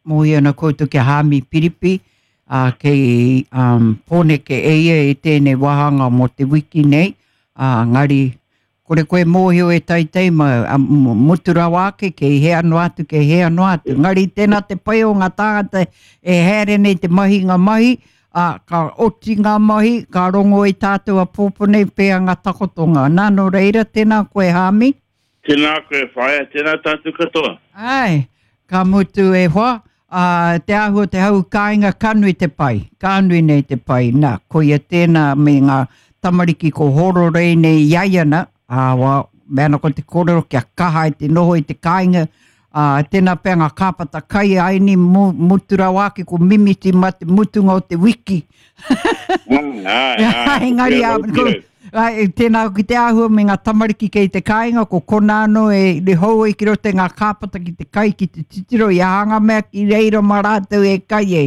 mōhio ana koutou ki a Hāmi Piripi, ā, kei um, Pōneke e ia i tēnei wāhanga mō te wiki nei, ā, ngari, kore koe mōhio e teitei ma, a, mutu rawa ake, kei hea noa atu, kei hea noa atu. Ngari tēnā te pai o ngā tāngata e haere nei te mahi ngā mahi, ā, ka oti ngā mahi, ka rongo i tātou apōpō nei pēa ngā takotonga. Nā, nō reira, tēnā koe Hāmi. Tēnā koe whaea, tēnā tātou katoa. Āe, ka mutu e hoa, ā, te āhua o te hau kāinga ka nui te pai, ka nui nei te pai. Nā, koia tēnā me ngā tamariki ko hororei nei i a ia nā, ā, wā, me ana ko te kōrero kia kaha ai te noho i te kāinga, ā, tēnā pea ngā kāpata kai aini mutu rawa ake ko mimiti mā te mutunga o te wiki. Āe, āe, Engari, ā, ko, Ai, tēnā ki te āhua me ngā tamariki kei te kāinga, ko kona anō e re hou ai ki roto i ngā kāpata ki te kai, ki te titiro i aha ngā mea ki reira mā rātou e kai ai.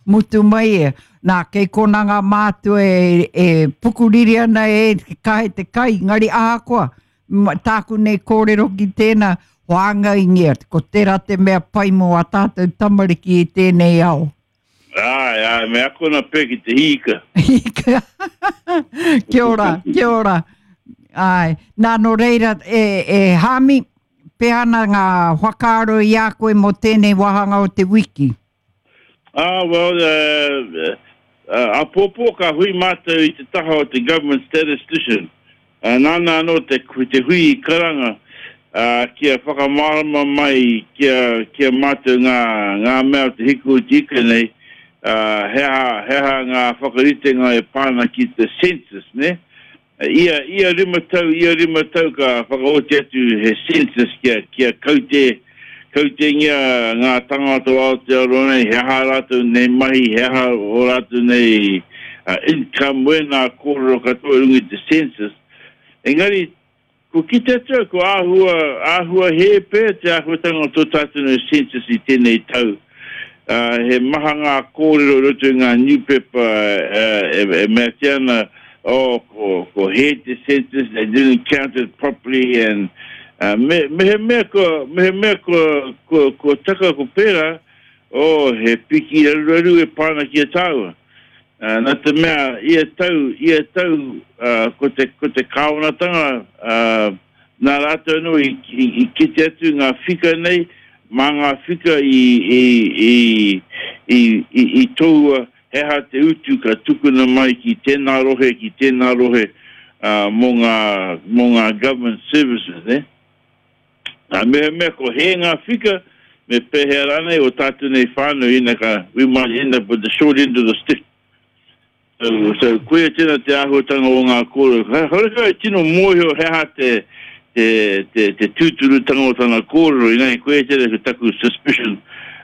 Mutu mai e. Nā, kei kona ngā mātua e, e pukuriri ana e kahe te kai, engari ahakoa, tāku nei kōrero ki tēnā, whāngaingia, ko tērā te mea pai mō ā tātou tamariki i tēnei ao. Āe, āe, me akona pea ki te hīka. Hīka. kia ora, kia ora. Āe, nā nō reira, e, e Hāmi, pēhea ana ngā whakaaro i a koe mō tēnei wāhanga o te wiki? Ah, well, uh, uh, apōpō ka hui mātou i te taha o te government statistician. Ā, nāna anō te, te hui i karanga, ā, kia whakamārama mai ki a, ki a mātou ngā, ngā mea o te hiku o te ika nei, ā, he aha, he aha ngā whakaritenga e pā ana ki te census, nē? Ia, ia rima tau, ia rima tau ka whakaoti atu he census kia, kia kaute, kautengia ngā tangata o Aotearoa nei, he aha ā rātou nei mahi, he aha ō rātou nei income, wēnā kōrero katoa i runga i te census. Engari, kua kite atu au, kua āhua, āhua hē pea te āhuatanga o tō tātou nei census i tēnei tau. He maha ngā kōrero i roto i ngā niupepa e meatia ana, oh, ko, ko hē te census, they didn't count it properly, and me, mehemea kua, mehemea kua, kua, kua taka ko pērā, oh, he piki raruraru e pā ana ki a tāua. Nā te mea, ia tau, ia tau, ko te, ko te kāwanatanga, nā rātou anō i, i, i kite atu ngā whika nei, mā ngā whika i, i, i, i, i, i tohua he aha te utu ka tukuna mai ki tēnā rohe, ki tēnā rohe, mō ngā, mō ngā government services, nē. Ā, mehemea ko hē ngā whika, me pēhea rānei o tātou nei whānau ina ka, we might end up with the short end of the stick. So, so koia tēnā te āhuatanga o ngā kōrero. Horekau e tino mōhio he aha te, te, te, te tūturutanga o tana kōrero, engari koia tēnā ko taku suspicion,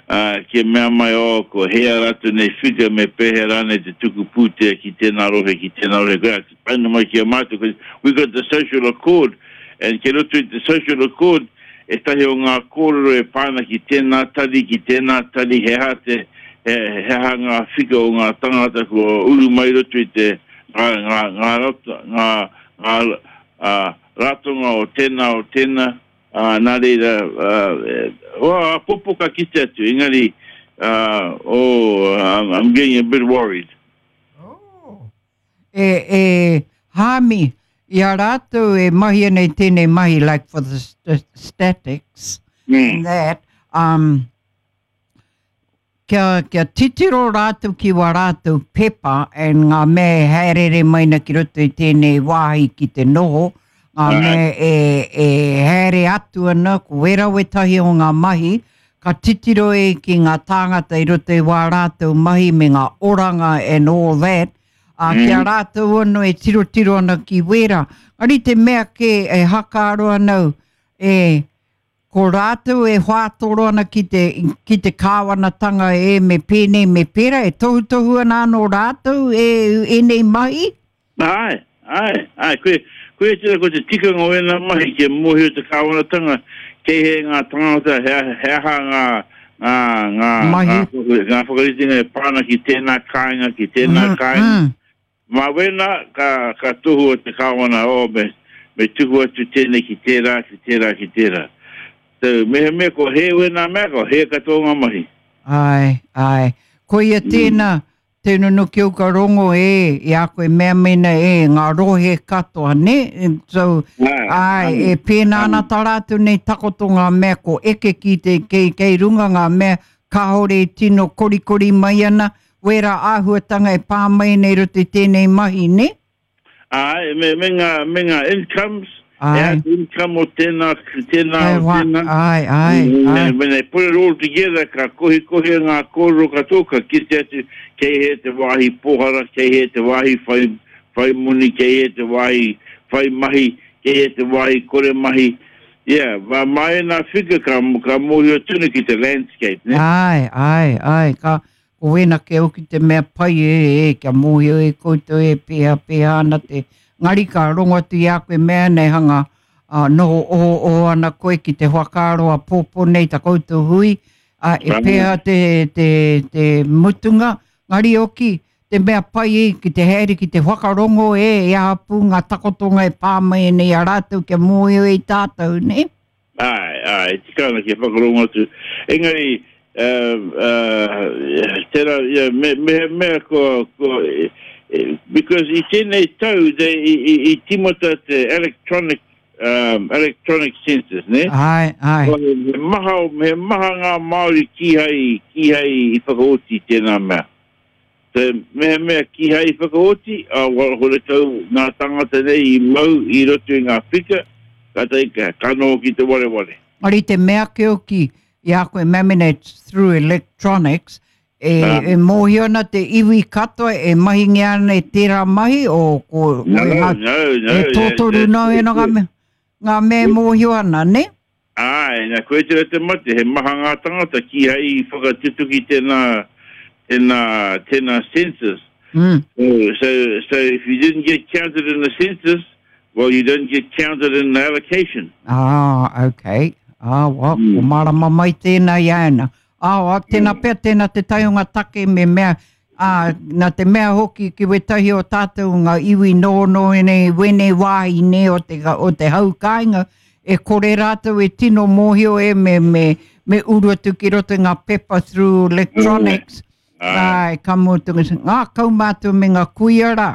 ā, kia mea mai, oh, ko hē ā rātou nei whika, me pēhea rānei te tuku pūtea ki tēnā rohe, ki tēnā rohe. Koia, Taina mai ki a mātou, because we got the social accord, and kei roto i te social accord, ētahi o ngā kōrero e pā ana ki tēnā tari, ki tēnā tari, he aha te, he, he aha ngā whika o ngā tangata kua uru mai roto i te, ngā, ngā, ngā, ngā, ngā, ngā uh, ratonga o tēnā, o tēnā, ā, nā reira, uh, oh, apopo ka kite atu, engari, uh, oh, I'm, I'm getting a bit worried. Oh. E, e, Hāmi, i a rātou e mahi ana i tēnei mahi, like for the st statics mm. and that, um, kia, kia titiro rātou ki wā rātou pepa and ngā mea e haerere mai na ki roto i tēnei wāhi ki te noho, ngā mea e, e haere atu ana, ko wera wetahi o ngā mahi, ka titiro e ki ngā tāngata i roto i wā rātou mahi me ngā oranga and all that, ā, ki a rātou anō e tirotiro ana ki wērā. Engari te mea kē e hakaaro ana au, e, ko rātou e whātoro ana ki te, ki te kāwanatanga e me pēnei me pērā, e tohutohu ana anō rātou e ēnei mahi? Āe, āe, āe, koe, koia tērā ko te tikanga o ēnā mahi kia mōhio te kāwanatanga kei hea ngā tangata, he, he aha ngā, ngā, ngā, Mahi. ngā, ngā whakaritenga e pā ana ki tēnā kāinga, ki tēnā Mm, kāinga. mm. Mā wēnā ka, ka tohua te kāwana, oh, me, me tuku atu tēnei ki tērā, ki tērā, ki tērā. So, mehemea ko hē wēnā mea, ko hē katoa ngā mahi. Āe, āe. Koia tēnā, te nunuki au ka rongo e, i a koe mea mena e, ngā rohe katoa, ne? So, āe, e pēnā ana tā rātou nei takoto ngā mea ko eke ki te, kei, kei runga ngā mea kāore e tino korikori mai ana, wērā āhuatanga e pā mai nei roto i tēnei mahi, ne? Āe, me, me ngā, me ngā incomes, e ai te income o tēnā, tēnā, o tēnā. Āe, āe, āe. When they put it all together, ka kohikohia ngā kōrero katoa, ka kite atu kei hea te wāhi pōhara, kei hea te wāhi whai, whai moni, kei hea te wāhi whai mahi, kei hea te wāhi kore mahi. Yeah, mā, mā ēnā figure ka, ka mōhio tonu ki te landscape, ne? Āe, āe, āe, ka, Ko wena ke au ki te mea pai e e kia mōhio e koutou e pēhea pēhea ana te ngari ka rongo atu i a koe mea nei hanga a, noho oho oho ana koe ki te whakaaro a pōpō nei ta koutou hui a, e pēhea te, te, te mutunga ngari oki te mea pai e ki te haere ki te whakarongo e e aha pū ngā takotonga e pā mai nei a rātou kia mōhio e tātou nei. Āe, āe, e tika ana kia whakarongo atu. Engari, uh, tērā, yeah, me, mehemea kua, kua, because i tēnei tau, they, i, i, i timata te electronic, um, electronic census, ne? Āe, āe. He maha, he maha ngā Māori kīhai, kīhai i whakaoti tēnā mea. Te mehemea kīhai i whakaoti, ā, horekau ngā tāngata nei i mau i roto i ngā whika, kātahi ka, ka noho ki te wareware. Engari te mea ake hoki i a koe Maminate through electronics, e, e mōhio ana te iwi katoa e mahingia ana e tērā mahi o ko, no, ko ngā, no, no, e tōtoru nō e ngā mea, ngā mea e mōhio ana, ne? Āe, nā, koe tērā te mate, he maha ngā tangata kīhai i whakatutuki tēnā, tēnā, tēnā census. Mm. So, so, so if you didn't get counted in the census, well, you don't get counted in the allocation. Ah, okay. Ah, well, mm. ko marama mai tēnā i a ana. Ah, well, tēnā mm. pea, tēnā te tai o ngā take me mea, Ā, nā te mea hoki ki wētahi o tātou ngā iwi nohonoho nei, wēnei wāhi nei o te, o te hau kāinga, e kore rātou e tino mōhio e me, me, me uru atu ki roto i ngā pepa through electronics. Āe, ka mutu, ngā kaumātua me ngā kuia rā.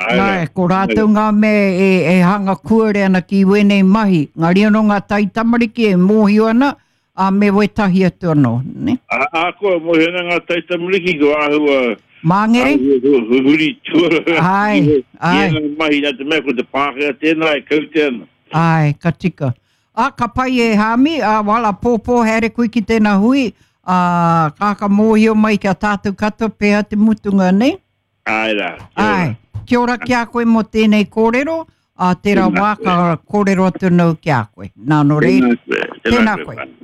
Āe, ko rātou ngā mea e, e hanga kuare ana ki wēnei mahi. Ngā rino ngā taitamariki e mōhio ana, ā, me wētahi atu anō, ne? Ahakoa mōhio ana ngā taitamariki ko āhua Māngere? Āhua huri tuara āe, āe. Ki ēnā mahi nā te mea ko te Pākehā tēnā e kaute ana. Āe, ka tika. Ā, ka pai e Hāmi, ā, wala pōpō haere koe ki tēnā hui, ā, ka ka mōhio mai ki a tātou katoa pēhea te mutunga, ne? Āe rā, kia ora. Āe, kia ora ki a koe mō tēnei kōrero, ā, tērā wā ka kōrero atu nau ki a koe. Nā, nō reira, tēnā koe. Tēnā koe.